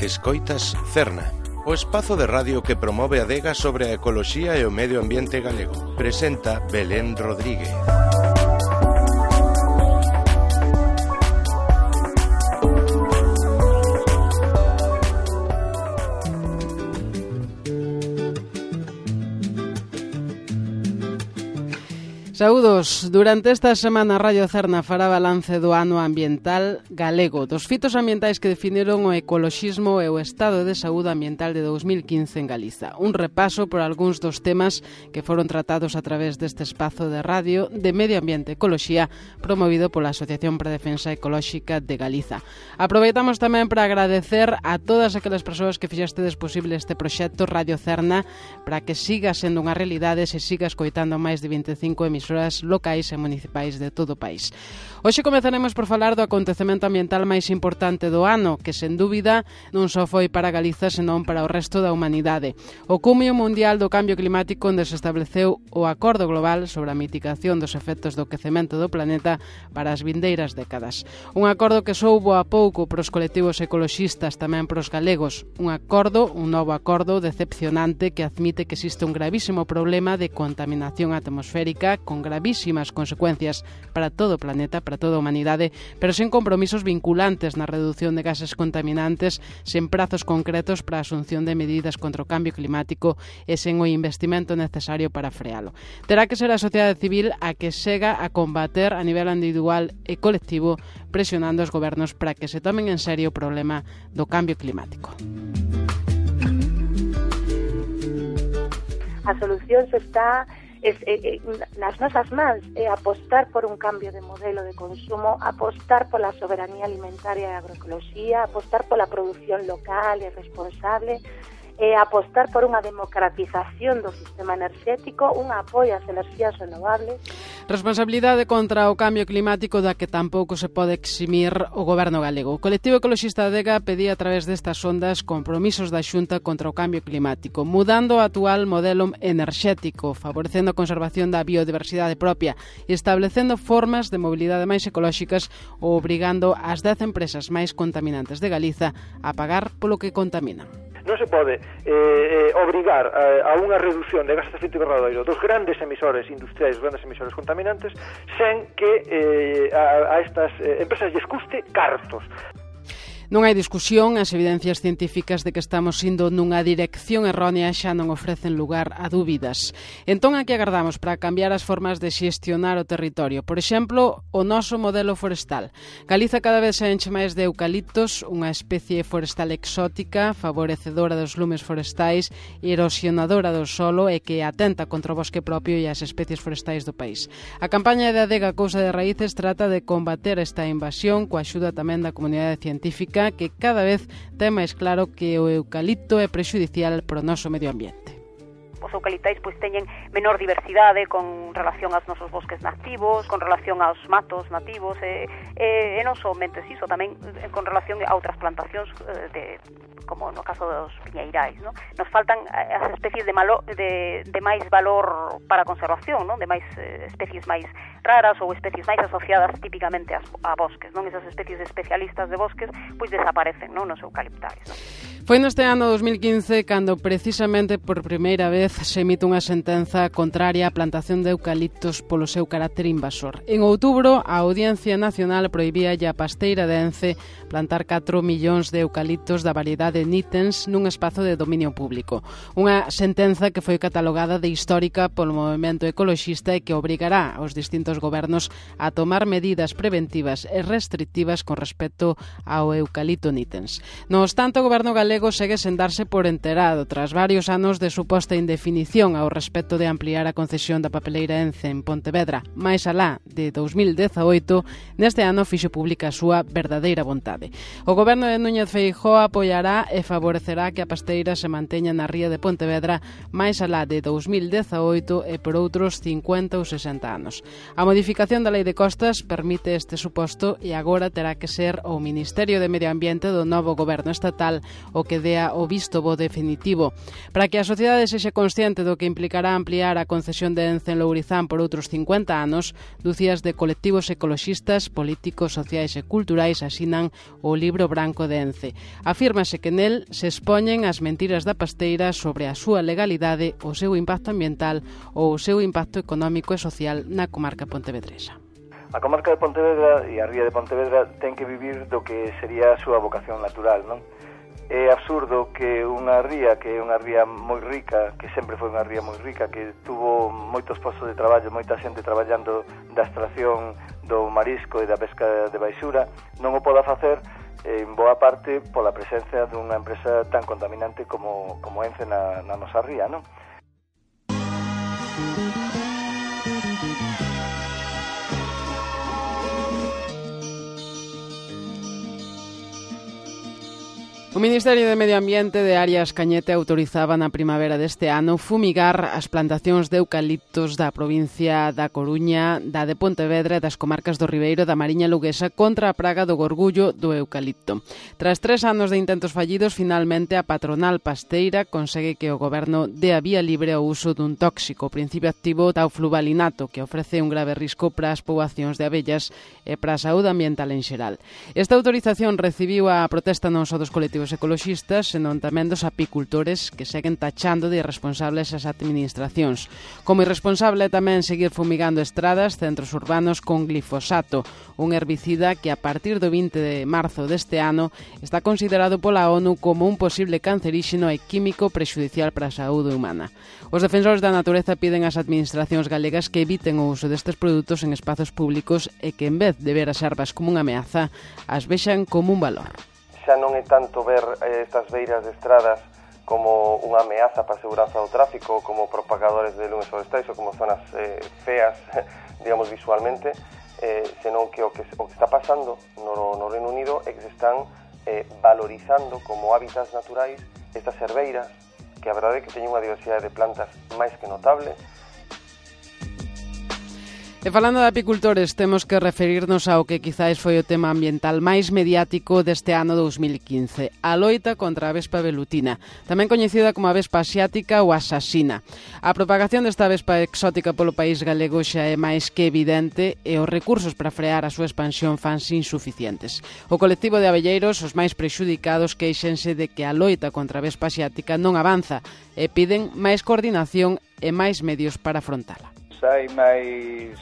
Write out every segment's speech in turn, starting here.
Escoitas Cerna, o espazo de radio que promove a adega sobre a ecoloxía e o medio ambiente galego. Presenta Belén Rodríguez. Saúdos. Durante esta semana Radio Cerna fará balance do ano ambiental galego, dos fitos ambientais que definiron o ecoloxismo e o estado de saúde ambiental de 2015 en Galiza. Un repaso por algúns dos temas que foron tratados a través deste espazo de radio de Medio Ambiente e Ecoloxía promovido pola Asociación para a Defensa Ecolóxica de Galiza. Aproveitamos tamén para agradecer a todas aquelas persoas que fixastedes posible este proxecto Radio Cerna para que siga sendo unha realidade e se siga escoitando máis de 25 emisoras locais e municipais de todo o país. Hoxe comezaremos por falar do acontecemento ambiental máis importante do ano, que sen dúbida non só foi para Galiza, senón para o resto da humanidade. O cumio mundial do cambio climático, onde se estableceu o Acordo Global sobre a mitigación dos efectos do quecemento do planeta para as vindeiras décadas. Un acordo que soubo a pouco para os colectivos ecoloxistas, tamén para os galegos. Un novo acordo decepcionante que admite que existe un gravísimo problema de contaminación atmosférica con gravísimas consecuencias para todo o planeta, para toda a humanidade, pero sen compromisos vinculantes na reducción de gases contaminantes, sen prazos concretos para a asunción de medidas contra o cambio climático e sen o investimento necesario para frealo. Terá que ser a sociedade civil a que sega a combater a nivel individual e colectivo, presionando os gobernos para que se tomen en serio o problema do cambio climático. A solución está nas nosas mans, é apostar por un cambio de modelo de consumo, apostar pola soberanía alimentaria e agroecoloxía, apostar pola produción local e responsable, apostar por unha democratización do sistema enerxético, un apoio ás enerxías renovables. Responsabilidade contra o cambio climático da que tampouco se pode eximir o goberno galego. O colectivo ecoloxista Adega pedía a través destas ondas compromisos da Xunta contra o cambio climático, mudando o actual modelo enerxético, favorecendo a conservación da biodiversidade propia e establecendo formas de mobilidade máis ecolóxicas ou obrigando as 10 empresas máis contaminantes de Galiza a pagar polo que contaminan. Non se pode obrigar a unha reducción de gases de efecto invernadoiro dos grandes emisores industriais, dos grandes emisores contaminantes, sen que a estas empresas lles custe cartos. Non hai discusión, as evidencias científicas de que estamos indo nunha dirección errónea xa non ofrecen lugar a dúbidas. Entón, a que agardamos para cambiar as formas de xestionar o territorio? Por exemplo, o noso modelo forestal. Galiza cada vez se enche máis de eucaliptos, unha especie forestal exótica, favorecedora dos lumes forestais, erosionadora do solo e que atenta contra o bosque propio e as especies forestais do país. A campaña de Adega Cousa de Raíces trata de combater esta invasión coa axuda tamén da comunidade científica que cada vez ten máis claro que o eucalipto é prexudicial para o noso medio ambiente. Os eucaliptais teñen menor diversidade con relación aos nosos bosques nativos, con relación aos matos nativos e non somente iso, tamén con relación a outras plantacións como no caso dos piñeirais, ¿no? Nos faltan as especies de máis valor para a conservación, ¿no? De máis especies máis raras ou especies máis asociadas típicamente a bosques, non? Esas especies especialistas de bosques desaparecen, non? Nos eucaliptais, ¿no? Foi neste ano 2015 cando precisamente por primeira vez se emite unha sentenza contraria á plantación de eucaliptos polo seu carácter invasor. En outubro, a Audiencia Nacional prohibía a Pasteira de Ence plantar 4 millóns de eucaliptos da variedade Nitens nun espazo de dominio público. Unha sentenza que foi catalogada de histórica polo movemento ecoloxista e que obrigará aos distintos gobernos a tomar medidas preventivas e restrictivas con respecto ao eucalipto Nitens. No obstante, o goberno galego segue sen darse por enterado tras varios anos de suposta indefinición ao respecto de ampliar a concesión da papeleira Ence en Pontevedra máis alá de 2018. Neste ano fixo pública a súa verdadeira vontade. O goberno de Núñez Feijóo apoiará e favorecerá que a pasteira se manteña na ría de Pontevedra máis alá de 2018 e por outros 50 ou 60 anos. A A modificación da Lei de Costas permite este suposto e agora terá que ser o Ministerio de Medio Ambiente do novo goberno estatal o que dea o visto bo definitivo. Para que a sociedade sexa consciente do que implicará ampliar a concesión de Ence en Lourizán por outros 50 anos, dúcias de colectivos ecoloxistas, políticos, sociais e culturais asinan o Libro Branco de Ence. Afírmase que nel se expoñen as mentiras da pasteira sobre a súa legalidade, o seu impacto ambiental ou o seu impacto económico e social na comarca pontevedresa. A comarca de Pontevedra e a ría de Pontevedra ten que vivir do que sería a súa vocación natural, non? É absurdo que unha ría que é unha ría moi rica, que sempre foi unha ría moi rica, que tuvo moitos postos de traballo, moita xente traballando da extracción do marisco e da pesca de baixura, non o poda facer en boa parte pola presencia dunha empresa tan contaminante como Ence na nosa ría, non? O Ministerio de Medio Ambiente de Arias Cañete autorizaba na primavera deste ano fumigar as plantacións de eucaliptos da provincia da Coruña, da de Pontevedra e das comarcas do Ribeiro da Mariña Luguesa contra a praga do gorgullo do eucalipto. Tras 3 anos de intentos fallidos, finalmente a patronal pasteira consegue que o goberno dé a vía libre ao uso dun tóxico, principio activo taufluvalinato, que ofrece un grave risco para as poboacións de abellas e para a saúde ambiental en xeral. Esta autorización recibiu a protesta non só dos colectivos ecoloxistas, senón tamén dos apicultores que seguen tachando de irresponsables as administracións. Como irresponsable tamén seguir fumigando estradas, centros urbanos con glifosato, un herbicida que a partir do 20 de marzo deste ano está considerado pola ONU como un posible canceríxeno e químico prexudicial para a saúde humana. Os defensores da natureza piden ás administracións galegas que eviten o uso destes produtos en espazos públicos e que en vez de ver as ervas como unha ameaza, as vexan como un valor. Xa non é tanto ver estas beiras de estradas como unha ameaza para a seguranza do tráfico, como propagadores de lumes forestais ou como zonas feas, digamos, visualmente, senón que o que está pasando no Reino Unido é que se están valorizando como hábitats naturais estas herbeiras, que a verdade é que teñen unha diversidade de plantas máis que notable. E falando de apicultores, temos que referirnos ao que quizáis foi o tema ambiental máis mediático deste ano 2015, a loita contra a vespa velutina, tamén coñecida como a vespa asiática ou asasina. A propagación desta vespa exótica polo país galego xa é máis que evidente e os recursos para frear a súa expansión fanse insuficientes. O colectivo de abelleiros, os máis prexudicados, queixense de que a loita contra a vespa asiática non avanza e piden máis coordinación e máis medios para afrontala. Hai máis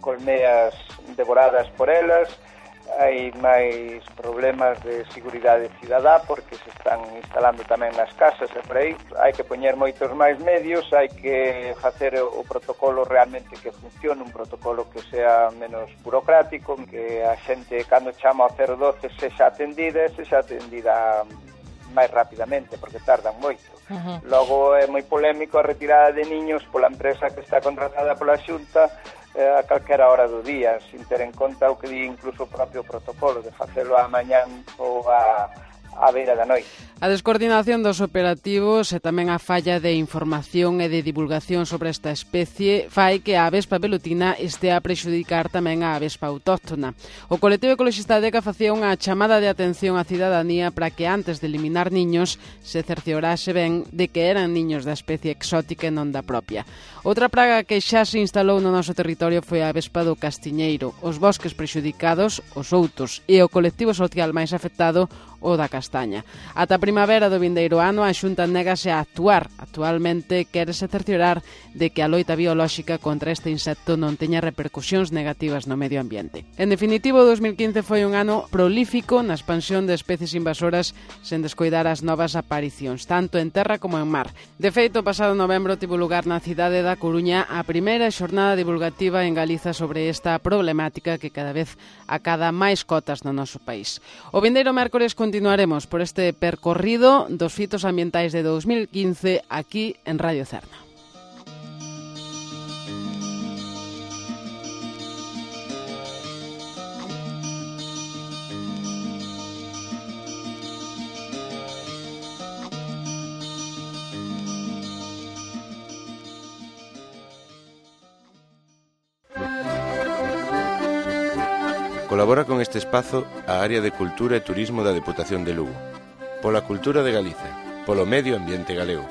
colmeas devoradas por elas, hai máis problemas de seguridade cidadá porque se están instalando tamén nas casas e por aí. Hai que poñer moitos máis medios, hai que facer o protocolo realmente que funcione, un protocolo que sea menos burocrático, que a xente cando chama ao 012 sexa atendida máis rapidamente, porque tardan moito. Logo é moi polémico a retirada de niños pola empresa que está contratada pola Xunta a calquera hora do día, sin ter en conta o que di incluso o propio protocolo de facelo a mañán ou a beira da noite. A descoordinación dos operativos e tamén a falla de información e de divulgación sobre esta especie fai que a vespa velutina estea a prexudicar tamén a vespa autóctona. O colectivo ecoloxista Deca facía unha chamada de atención á cidadanía para que antes de eliminar niños se cerciorase ben de que eran niños da especie exótica e non da propia. Outra praga que xa se instalou no noso territorio foi a vespa do castiñeiro, os bosques prexudicados, os outos e o colectivo social máis afectado, o da castaña. Ata a primavera do vindeiro ano a Xunta négase a actuar. Actualmente quérese cerciorar de que a loita biolóxica contra este insecto non teña repercusións negativas no medio ambiente. En definitivo, 2015 foi un ano prolífico na expansión de especies invasoras sen descoidar as novas aparicións, tanto en terra como en mar. De feito, o pasado novembro tivo lugar na cidade da Coruña a primeira xornada divulgativa en Galiza sobre esta problemática que cada vez acada máis cotas no noso país. O vindeiro mércores continuaremos por este percorrido dos fitos ambientais de 2015 aquí en Radio Cerna. Colabora con este espazo a área de Cultura e Turismo da Deputación de Lugo. Pola cultura de Galicia, polo medio ambiente galego.